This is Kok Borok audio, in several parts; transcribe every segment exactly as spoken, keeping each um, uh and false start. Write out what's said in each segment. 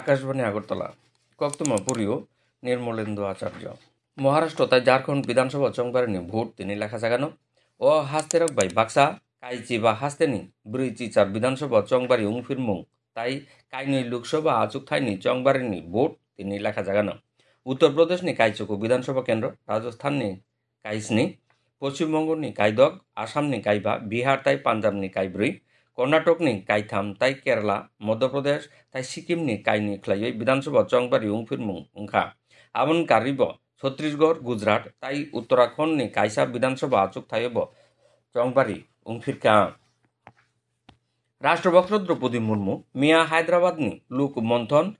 Akashbani Agartala, koktwma poriyo Nirmolendu Acharya. Maharashtra tai Jharkhand Bidhan Sabha chongbarini vote tini lekha jagano. O hasterok bai baksa kaichiba hasteni brwi chichar Bidhan Sabha chongbari wngphirmung tai kainwi Lok Sabha achukthani chongbarini vote tini lekha jagano. Uttar Pradeshni kaichuku Bidhan Sabha kendro, Rajasthanni kaisni, Poschim Bongoni kaidok, Assamni kaiba, Bihar tai Punjabni kaibrwi, Karnatokni kaitham tai Kerala, Madhya Pradesh tai Sikimni kainwi khlaiwi Bidhan Sabha chongbari wngphirmung wngkha. Aboni karwibo Chhattisgarh, Gujarat tai Uttarakhandni kaisa Bidhan Sabha achukthaiyobo chongbari wngphirkha. Rashtrabaksa Draupadi Murmu miya Hyderabadni Lok Manthon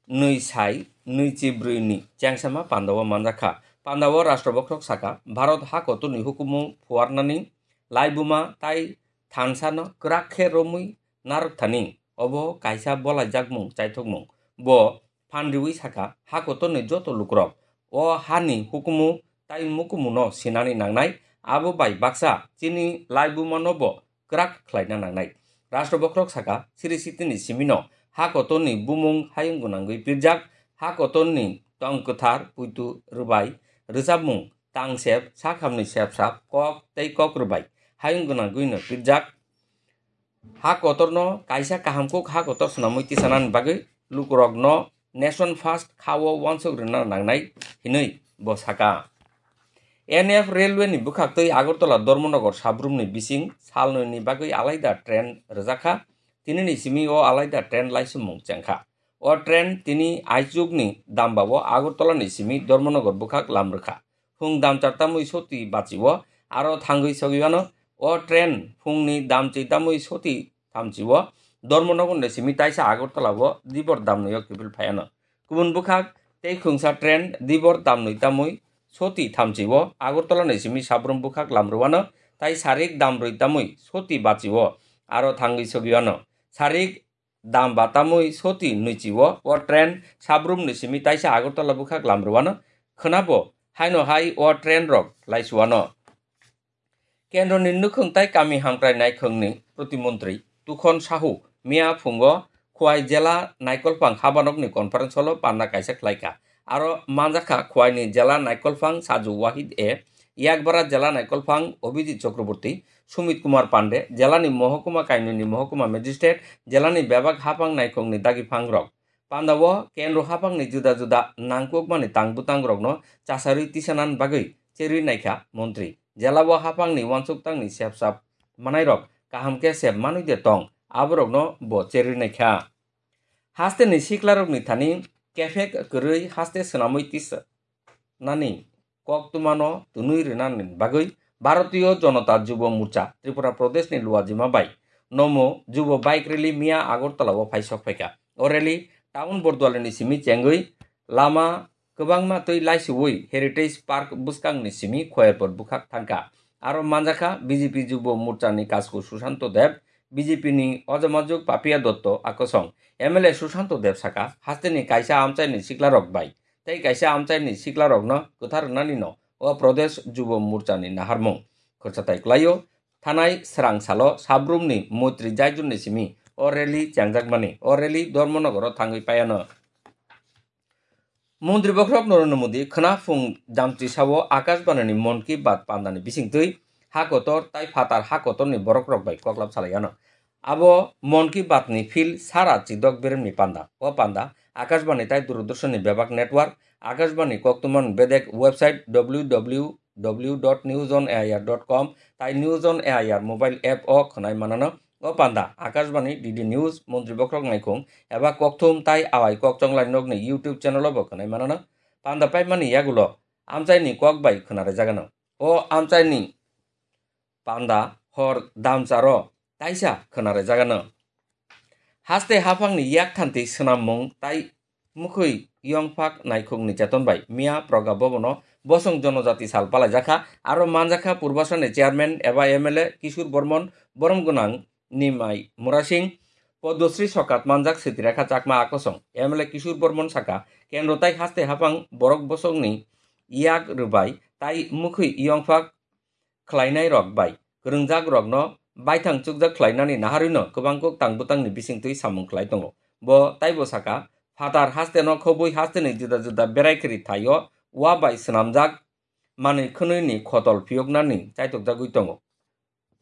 nwi sai nwi chi brwi ni chengsama pandao manjakha. Pandao Rashtrabaksa saka, Bharat hakotorni hukumu phuarnani laibuma tai thansano kwrak khe romwi narwkthani obo kaisa bolaijakmung chaithokmung. Bo phan riwi saka, hakotorni joto lukurok o hani hukumu tai mukumuno sinani nangnai, abo bai baksa chini laibumano bo kwrak khlaina nangnai. Rashtrabaksa saka, Sri Sitini simino hakotorni bumung hayung gwnangwi pirjak, hakotorni tong kwthar, puitu rwbai, rwchapmung, tangsep, sakhamni sepsap, kok tei kok rwbai hayung gwnangwino pirjak. Ha kotorno kaisa kaham kuk ha kotor swnamwi tisanani bagwi lukurokno Nation First khao wansuk rwna nangnai hinwi bo saka. N F Railway ni bwkhaktwi Agartala Dharmanagar sabrumni bising salnwini bagwi alaida train rwjakha, tinini simi o alaida train laisumung chengkha. O train tini aichukni dambao Agartala ni simi Dharmanagar bwkhak lam rwkha. Phung damchar tamwi soti bachio, aro thangwi sogwiano o train phungni damchwi tamwi soti thamchio Dharmanagar ni simi taisa Agartala o dibor damnwi o kiphil phaiano. Kubun bwkhak tei khungsa train dibor damnwi tamwi soti thamchio Agartala ni simi sabrum bwkhak lam rwano tai sarik damrwi tamwi soti bachio aro thangwi sogwiano. Sarik dam ba tamwi soti nwichio o train sabrumni simi taisa Agartala bwkhak lam rwano khwnabo haino hai o train rok laisuano. Kendroni nukhung tai kami hamkrai naikhungni protimontri Tukhon Sahu miya phungo Khwai jela naikolphang habanokni conference hall-o panda kaisa khlaikha. Aro manjakha Khwaini jela naikolphang Saju Wahid e, Yakbara jela naikolphang Abhijit Chakraborty, Sumit Kumar Pande, jelani mohokuma kainwini mohokuma magistrate, jelani bebak haphang naikhungni dagiphangrok. Pandao kendro haphangni juda juda nangkukmani tang bwtangrokno chasarwi tisanani bagwi cherwi naikha montri. Jelao haphangni uansuk tangni sepsap manairok kaham khe sep manwi de tong, aborokno bo cherwi naikha. Hasteni siklarokni thani kephek kwrwi haste swnamwi tisa nani koktwmano twnwi rwnani bagwi Bharatiya Janata Jubo Morcha Tripura Pradeshni Luajima bai nomo Jubo bike rally miya Agartala-o phai sok phaikha. O rally town Bordwalani simi chengwi lama kwbangma twi laisiwi Heritage Park bwskangni simi Khoyerpur bwkhak thangkha. Aro manjakha B J P Jubo Morchani kasku Sushanto Deb, B J P ni Ojamajuk Papia Dotto akosong. M L A Sushanto Deb saka, hasteni kaisa amchaini siklarok bai tei kaisa amchaini siklarokno kwthar rwnanino o Pradesh Jubo Morchani naharmung. Khorchatai kwlaio, thanai srang salo sabrumni Moitri Jaijurni simi o rally chengjakmani. O rally Dharmanagaro thangwi paiano. Montri Bokhorok Narendra Modi khwna phung damchi sao Akashbanini Mon Ki Baat pandani bisingtwi ha kotor tai phatar ha kotorni borokrok bai koklap salaiano. Abo Mon Ki Baatni phil sara chidok beremni panda. O panda Akashbani tai Doordarshanni bebak network, Akashbani koktwmani bedek website W W W dot news on A I R dot com tai News on A I R mobile app o khwnai manano. O panda Akashbani, D D News, Montri Bokhorok Naikhung eba Kokthum tai Awai Kokchonglai Nokni YouTube channel o bo khwnai manano. Panda paimani yagulo amchaini kok bai khwnarajagano. O amchaini panda hor damcharo taisa khwnarajagano. Haste haphangni yakthanti swnammung tai Mukhwi yongphak naikhungni cheton bai miya Proga Bhabono Bosong Jonojati sal palaijakha, aro manjakha Purbasani chairman eba M L A Kishore Bormon, borom gwnang Nimai Murasing, Padmasri sokat manjak Sitirekha Chakma akosong. M L A Kishore Bormon saka, kendro tai haste haphang borok bosongni yak rwbai tai mukhwi yongphak khlainairok bai kwrwngjakrokno baithang chukjak khlainani naharwino kwbang kok tang bwtangni bisingtwi samung khlai tongo. Bo taibo saka, Phatar haste no khobwi haste ni juda juda berai kwrwi thaio wa bai swnamjak manwi khwnwi ni khotol phiyoknani chaitokjagwi tongo.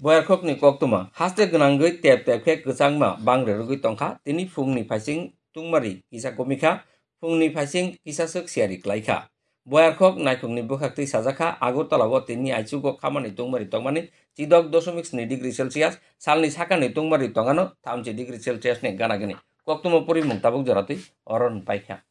Boyarkhok ni koktwma haste gwnangwi tep tep khe kwchangma bangre rwgwi tongkha, tini phungni phaising tungmari kisa komikha, phungni phaising kisa swk siyari klaikha. Boyarkhok naikhokni bwkhaktwi sajakha, Agartala o tini aichugo khamani tungmari tongmani chidok dosomik sni degree Celsius, salni sakani tungmari tongano thamchi degree Celsius ni gana gini. Koktwma porimung tabuk joratwi oron paikha.